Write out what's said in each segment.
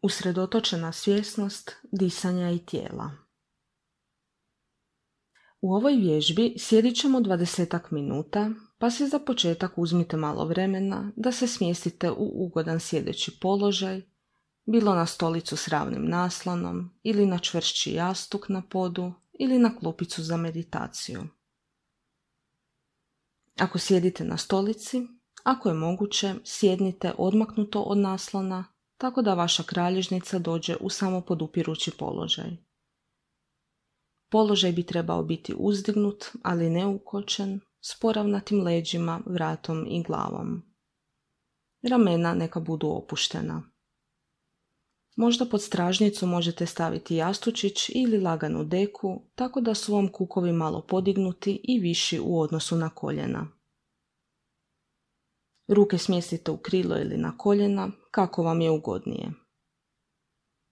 Usredotočena svjesnost disanja i tijela. U ovoj vježbi sjedit ćemo 20 minuta, pa si za početak uzmite malo vremena da se smjestite u ugodan sjedeći položaj, bilo na stolicu s ravnim naslonom ili na čvršći jastuk na podu ili na klupicu za meditaciju. Ako sjedite na stolici, ako je moguće, sjednite odmaknuto od naslona, tako da vaša kralježnica dođe u samopodupirući položaj. Položaj bi trebao biti uzdignut, ali ne ukočen, s poravnatim leđima, vratom i glavom. Ramena neka budu opuštena. Možda pod stražnicu možete staviti jastučić ili laganu deku, tako da su vam kukovi malo podignuti i viši u odnosu na koljena. Ruke smjestite u krilo ili na koljena, kako vam je ugodnije.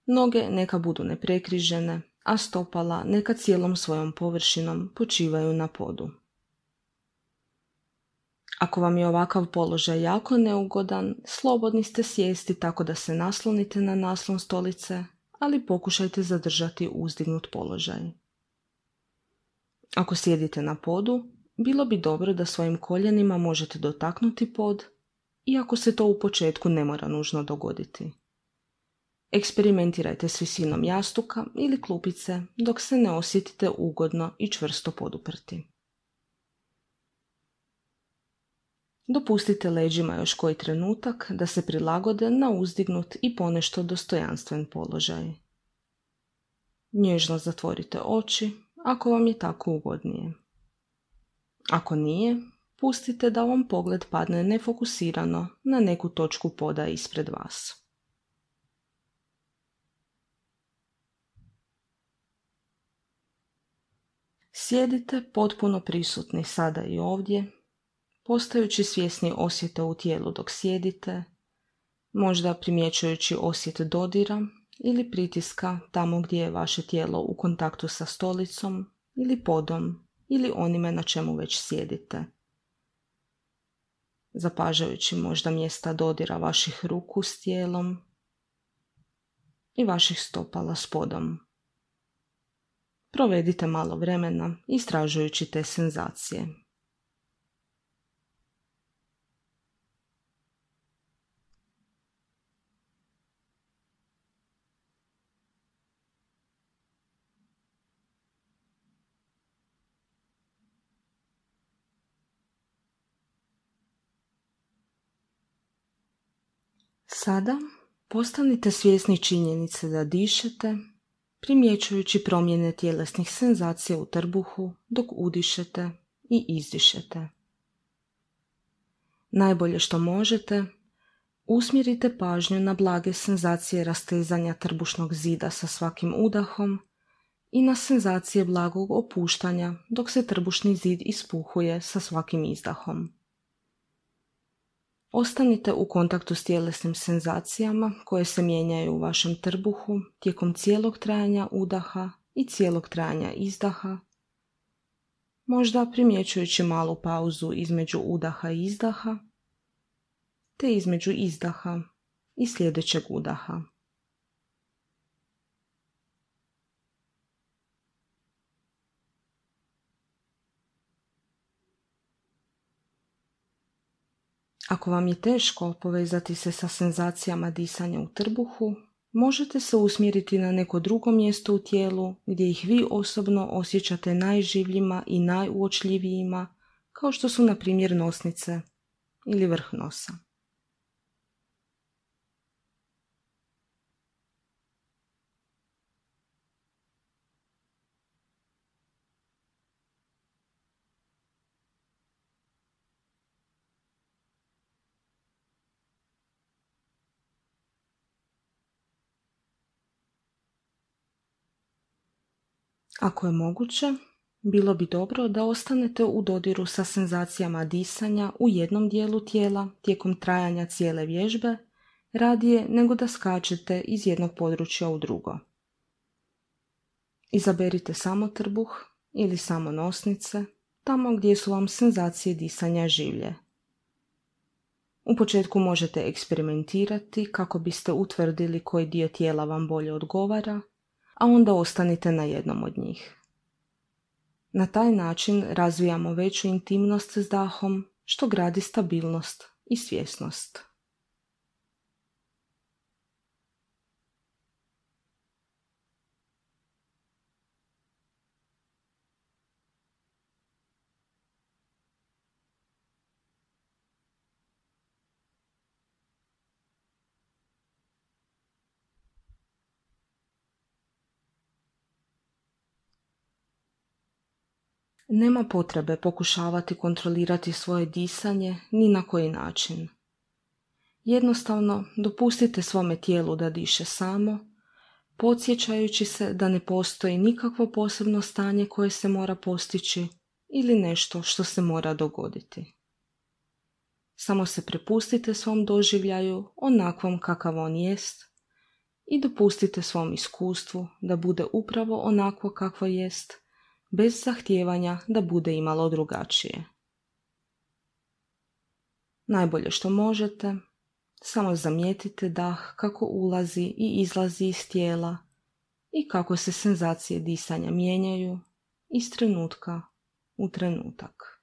Noge neka budu neprekrižene, a stopala neka cijelom svojom površinom počivaju na podu. Ako vam je ovakav položaj jako neugodan, slobodni ste sjesti tako da se naslonite na naslon stolice, ali pokušajte zadržati uzdignut položaj. Ako sjedite na podu, bilo bi dobro da svojim koljenima možete dotaknuti pod, iako se to u početku ne mora nužno dogoditi. Eksperimentirajte s visinom jastuka ili klupice dok se ne osjetite ugodno i čvrsto poduprti. Dopustite leđima još koji trenutak da se prilagode na uzdignut i ponešto dostojanstven položaj. Nježno zatvorite oči ako vam je tako ugodnije. Ako nije, pustite da vam pogled padne nefokusirano na neku točku poda ispred vas. Sjedite potpuno prisutni sada i ovdje, postajući svjesni osjeta u tijelu dok sjedite, možda primjećujući osjet dodira ili pritiska tamo gdje je vaše tijelo u kontaktu sa stolicom ili podom ili onime na čemu već sjedite. Zapažajući možda mjesta dodira vaših ruku s tijelom i vaših stopala s podom. Provedite malo vremena istražujući te senzacije. Sada postanite svjesni činjenice da dišete, primjećujući promjene tjelesnih senzacija u trbuhu dok udišete i izdišete. Najbolje što možete, usmjerite pažnju na blage senzacije rastezanja trbušnog zida sa svakim udahom i na senzacije blagog opuštanja dok se trbušni zid ispuhuje sa svakim izdahom. Ostanite u kontaktu s tjelesnim senzacijama koje se mijenjaju u vašem trbuhu tijekom cijelog trajanja udaha i cijelog trajanja izdaha, možda primjećujući malu pauzu između udaha i izdaha, te između izdaha i sljedećeg udaha. Ako vam je teško povezati se sa senzacijama disanja u trbuhu, možete se usmjeriti na neko drugo mjesto u tijelu gdje ih vi osobno osjećate najživljima i najuočljivijima, kao što su na primjer nosnice ili vrh nosa. Ako je moguće, bilo bi dobro da ostanete u dodiru sa senzacijama disanja u jednom dijelu tijela tijekom trajanja cijele vježbe, radije nego da skačete iz jednog područja u drugo. Izaberite samo trbuh ili samo nosnice, tamo gdje su vam senzacije disanja življe. U početku možete eksperimentirati kako biste utvrdili koji dio tijela vam bolje odgovara, a onda ostanite na jednom od njih. Na taj način razvijamo veću intimnost s dahom, što gradi stabilnost i svjesnost. Nema potrebe pokušavati kontrolirati svoje disanje ni na koji način. Jednostavno, dopustite svome tijelu da diše samo, podsjećajući se da ne postoji nikakvo posebno stanje koje se mora postići ili nešto što se mora dogoditi. Samo se prepustite svom doživljaju onakvom kakav on jest i dopustite svom iskustvu da bude upravo onakvo kakvo jest, bez zahtijevanja da bude imalo drugačije. Najbolje što možete, samo zamijetite dah kako ulazi i izlazi iz tijela i kako se senzacije disanja mijenjaju iz trenutka u trenutak.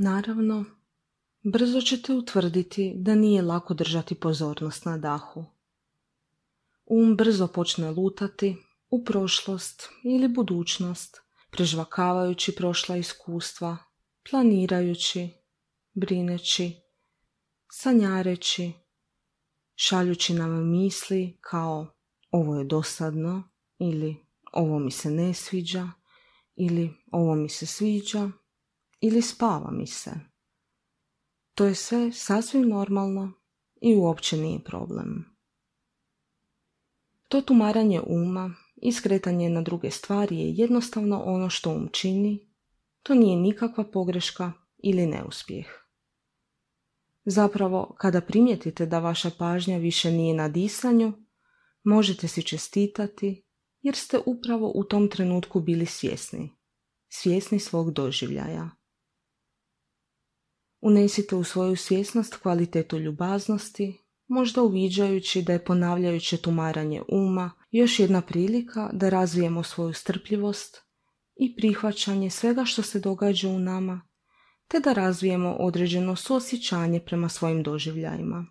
Naravno, brzo ćete utvrditi da nije lako držati pozornost na dahu. Brzo počne lutati u prošlost ili budućnost, prežvakavajući prošla iskustva, planirajući, brineći, sanjareći, šaljući nam misli kao ovo je dosadno ili ovo mi se ne sviđa ili ovo mi se sviđa ili spava mi se. To je sve sasvim normalno i uopće nije problem. To tumaranje uma i skretanje na druge stvari je jednostavno ono što čini, to nije nikakva pogreška ili neuspjeh. Zapravo, kada primijetite da vaša pažnja više nije na disanju, možete si čestitati jer ste upravo u tom trenutku bili svjesni svog doživljaja. Unesite u svoju svjesnost kvalitetu ljubaznosti, možda uviđajući da je ponavljajuće tumaranje uma još jedna prilika da razvijemo svoju strpljivost i prihvaćanje svega što se događa u nama, te da razvijemo određeno suosjećanje prema svojim doživljajima.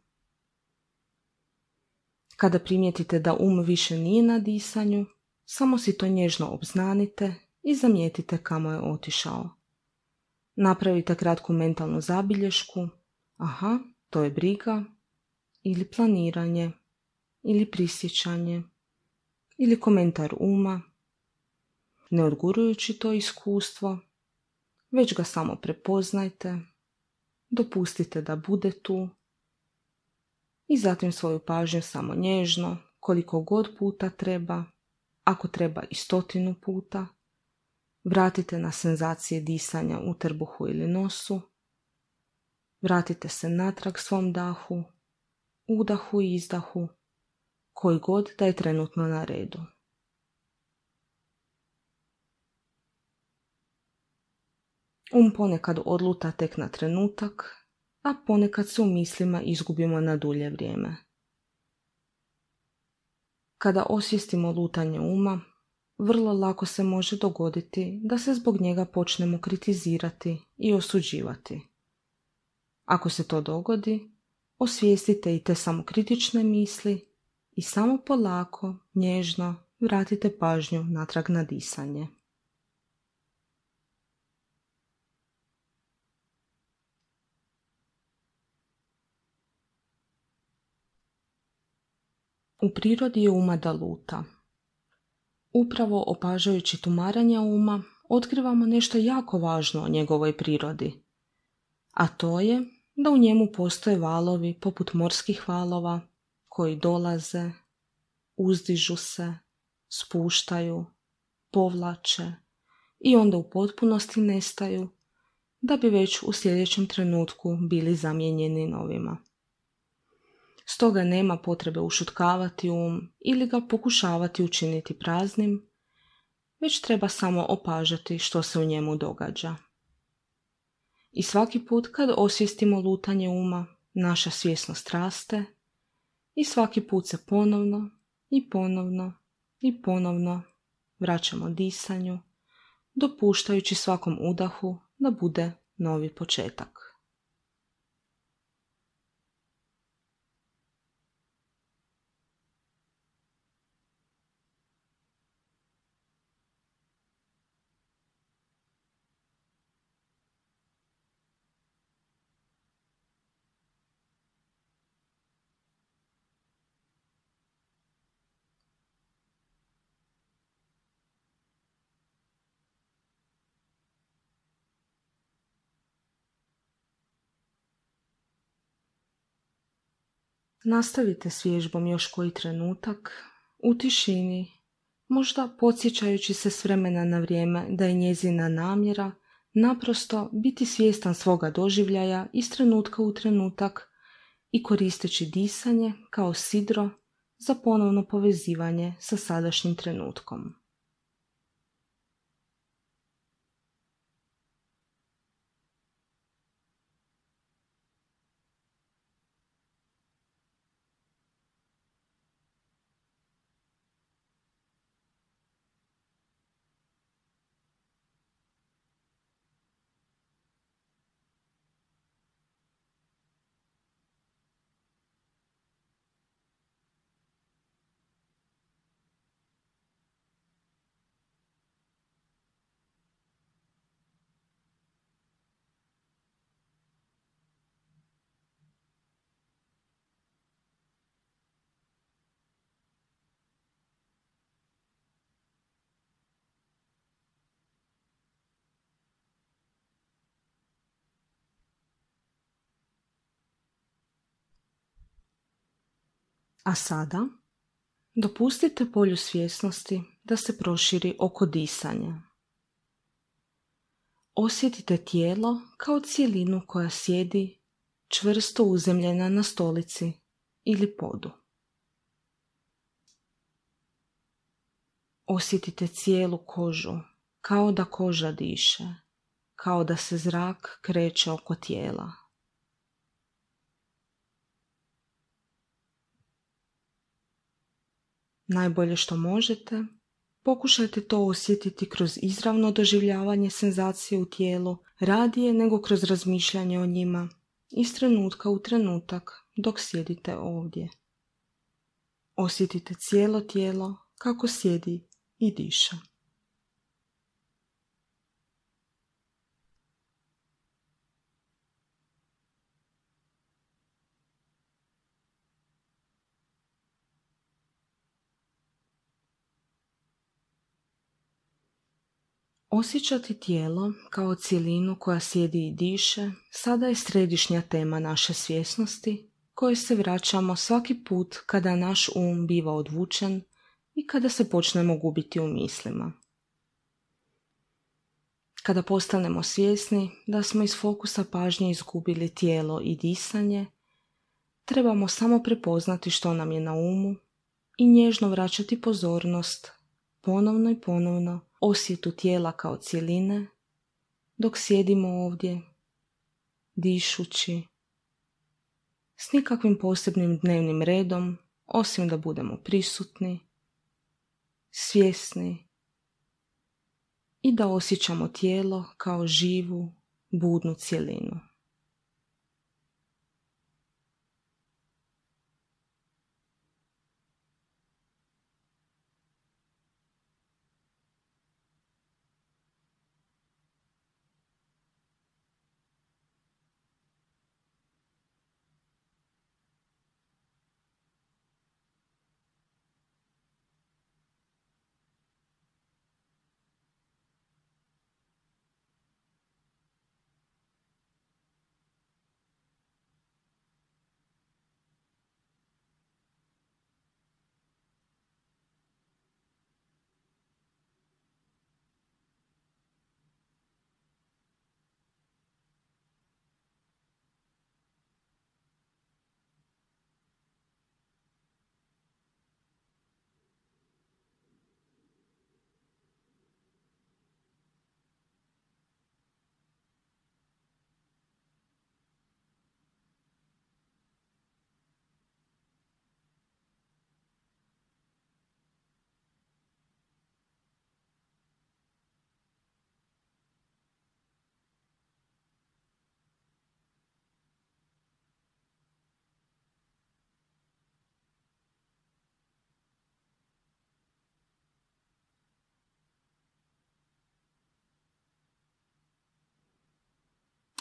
Kada primijetite da više nije na disanju, samo si to nježno obznanite i zamijetite kamo je otišao. Napravite kratku mentalnu zabilješku, aha, to je briga, ili planiranje, ili prisjećanje, ili komentar uma, ne odgurujući to iskustvo, već ga samo prepoznajte, dopustite da bude tu i zatim svoju pažnju samo nježno, koliko god puta treba, ako treba i 100 puta, vratite na senzacije disanja u trbuhu ili nosu, vratite se natrag svom dahu, udahu i izdahu, koji god da je trenutno na redu. Ponekad odluta tek na trenutak, a ponekad se u mislima izgubimo na dulje vrijeme. Kada osvijestimo lutanje uma, vrlo lako se može dogoditi da se zbog njega počnemo kritizirati i osuđivati. Ako se to dogodi, osvijestite i te samokritične misli i samo polako, nježno vratite pažnju natrag na disanje. U prirodi je uma da luta. Upravo opažajući tumaranja uma, otkrivamo nešto jako važno o njegovoj prirodi. A to je da u njemu postoje valovi poput morskih valova koji dolaze, uzdižu se, spuštaju, povlače i onda u potpunosti nestaju, da bi već u sljedećem trenutku bili zamijenjeni novima. Stoga nema potrebe ušutkavati ili ga pokušavati učiniti praznim, već treba samo opažati što se u njemu događa. I svaki put kad osvijestimo lutanje uma, naša svjesnost raste i svaki put se ponovno i ponovno i ponovno vraćamo disanju, dopuštajući svakom udahu da bude novi početak. Nastavite s vježbom još koji trenutak, u tišini, možda podsjećajući se s vremena na vrijeme da je njezina namjera naprosto biti svjestan svoga doživljaja iz trenutka u trenutak i koristeći disanje kao sidro za ponovno povezivanje sa sadašnjim trenutkom. A sada dopustite polju svjesnosti da se proširi oko disanja. Osjetite tijelo kao cjelinu koja sjedi čvrsto uzemljena na stolici ili podu. Osjetite cijelu kožu kao da koža diše, kao da se zrak kreće oko tijela. Najbolje što možete, pokušajte to osjetiti kroz izravno doživljavanje senzacije u tijelu, radije nego kroz razmišljanje o njima, iz trenutka u trenutak dok sjedite ovdje. Osjetite cijelo tijelo kako sjedi i diše. Osjećati tijelo kao cjelinu koja sjedi i diše sada je središnja tema naše svjesnosti kojoj se vraćamo svaki put kada naš biva odvučen i kada se počnemo gubiti u mislima. Kada postanemo svjesni da smo iz fokusa pažnje izgubili tijelo i disanje, trebamo samo prepoznati što nam je na umu i nježno vraćati pozornost ponovno i ponovno osjetu tijela kao cjeline, dok sjedimo ovdje, dišući, s nikakvim posebnim dnevnim redom, osim da budemo prisutni, svjesni i da osjećamo tijelo kao živu, budnu cjelinu.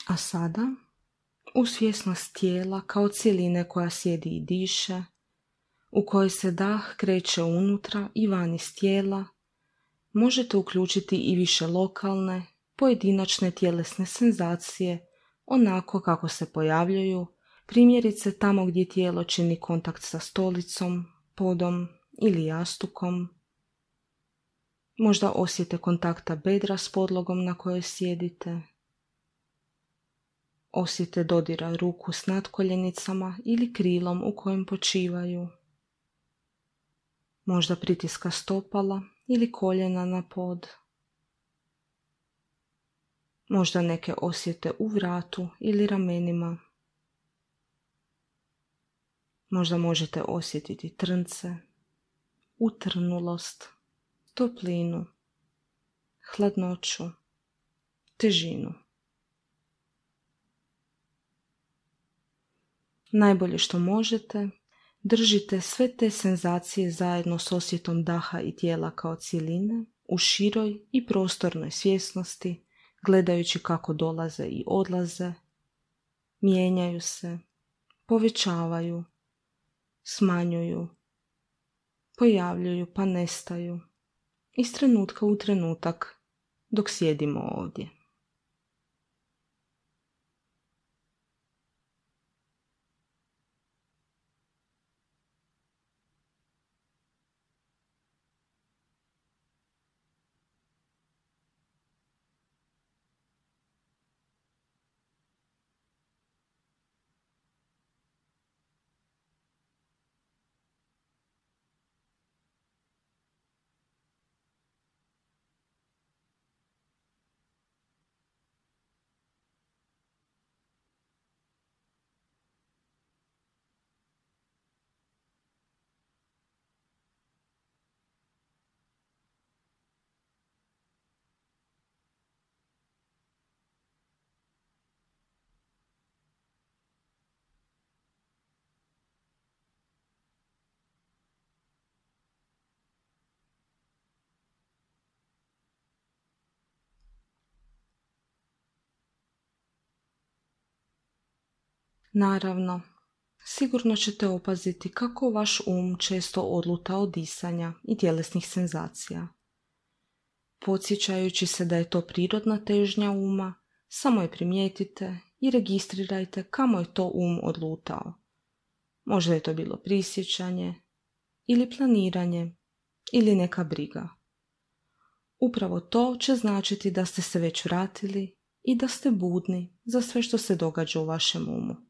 A sada, u svjesnost tijela kao cjeline koja sjedi i diše, u kojoj se dah kreće unutra i van iz tijela, možete uključiti i više lokalne, pojedinačne tjelesne senzacije onako kako se pojavljuju, primjerice tamo gdje tijelo čini kontakt sa stolicom, podom ili jastukom. Možda osjete kontakta bedra s podlogom na kojoj sjedite. Osjete dodira ruku s natkoljenicama ili krilom u kojem počivaju. Možda pritiska stopala ili koljena na pod. Možda neke osjete u vratu ili ramenima. Možda možete osjetiti trnce, utrnulost, toplinu, hladnoću, težinu. Najbolje što možete, držite sve te senzacije zajedno s osjetom daha i tijela kao cjeline u široj i prostornoj svjesnosti, gledajući kako dolaze i odlaze, mijenjaju se, povećavaju, smanjuju, pojavljuju pa nestaju, iz trenutka u trenutak dok sjedimo ovdje. Naravno, sigurno ćete opaziti kako vaš često odluta od disanja i tjelesnih senzacija. Podsjećajući se da je to prirodna težnja uma, samo je primijetite i registrirajte kamo je to odlutao. Možda je to bilo prisjećanje, ili planiranje, ili neka briga. Upravo to će značiti da ste se već vratili i da ste budni za sve što se događa u vašem umu.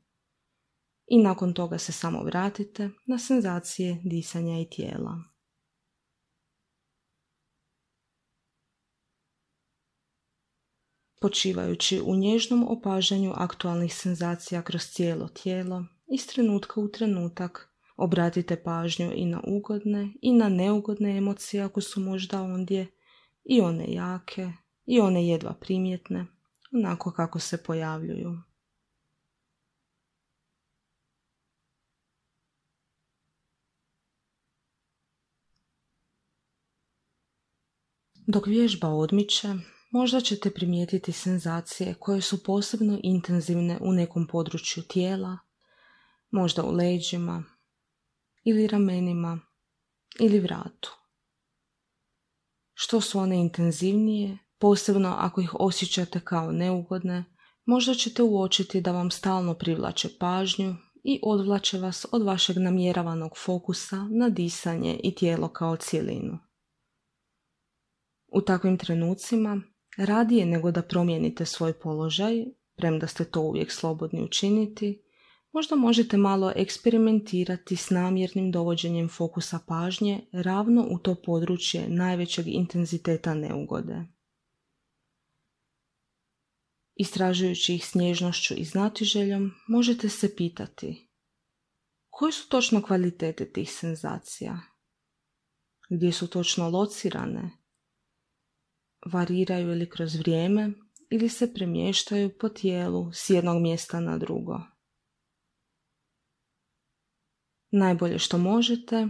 I nakon toga se samo vratite na senzacije disanja i tijela. Počivajući u nježnom opažanju aktualnih senzacija kroz cijelo tijelo, iz trenutka u trenutak obratite pažnju i na ugodne i na neugodne emocije ako su možda ondje, i one jake i one jedva primjetne, onako kako se pojavljuju. Dok vježba odmiče, možda ćete primijetiti senzacije koje su posebno intenzivne u nekom području tijela, možda u leđima, ili ramenima, ili vratu. Što su one intenzivnije, posebno ako ih osjećate kao neugodne, možda ćete uočiti da vam stalno privlače pažnju i odvlače vas od vašeg namjeravanog fokusa na disanje i tijelo kao cjelinu. U takvim trenucima, radije nego da promijenite svoj položaj, premda ste to uvijek slobodni učiniti, možda možete malo eksperimentirati s namjernim dovođenjem fokusa pažnje ravno u to područje najvećeg intenziteta neugode. Istražujući ih s nježnošću i znatiželjom, možete se pitati: koje su točno kvalitete tih senzacija? Gdje su točno locirane? Variraju li kroz vrijeme ili se premještaju po tijelu s jednog mjesta na drugo? Najbolje što možete,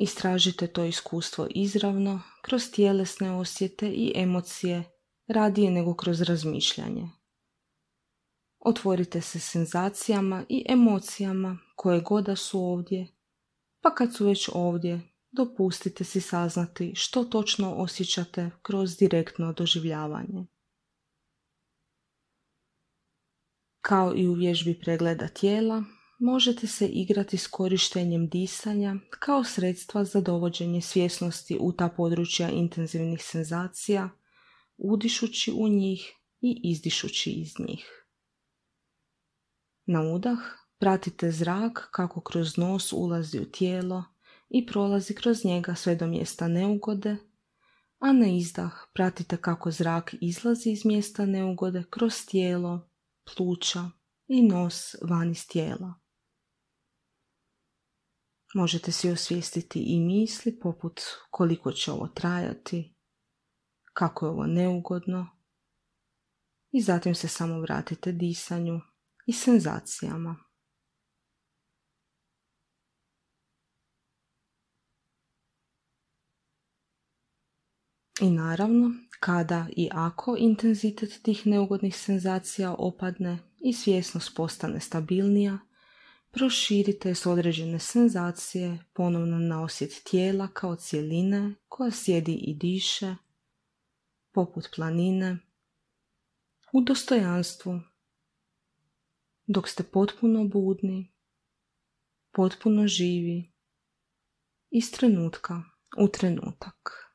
istražite to iskustvo izravno kroz tjelesne osjete i emocije radije nego kroz razmišljanje. Otvorite se senzacijama i emocijama koje god da su ovdje, pa kad su već ovdje, dopustite si saznati što točno osjećate kroz direktno doživljavanje. Kao i u vježbi pregleda tijela, možete se igrati s korištenjem disanja kao sredstva za dovođenje svjesnosti u ta područja intenzivnih senzacija, udišući u njih i izdišući iz njih. Na udah pratite zrak kako kroz nos ulazi u tijelo i prolazi kroz njega sve do mjesta neugode, a na izdah pratite kako zrak izlazi iz mjesta neugode kroz tijelo, pluća i nos van iz tijela. Možete si osvijestiti i misli poput koliko će ovo trajati, kako je ovo neugodno, i zatim se samo vratite disanju i senzacijama. I naravno, kada i ako intenzitet tih neugodnih senzacija opadne i svjesnost postane stabilnija, proširite s određene senzacije ponovno na osjet tijela kao cjeline koja sjedi i diše, poput planine, u dostojanstvu, dok ste potpuno budni, potpuno živi, iz trenutka u trenutak.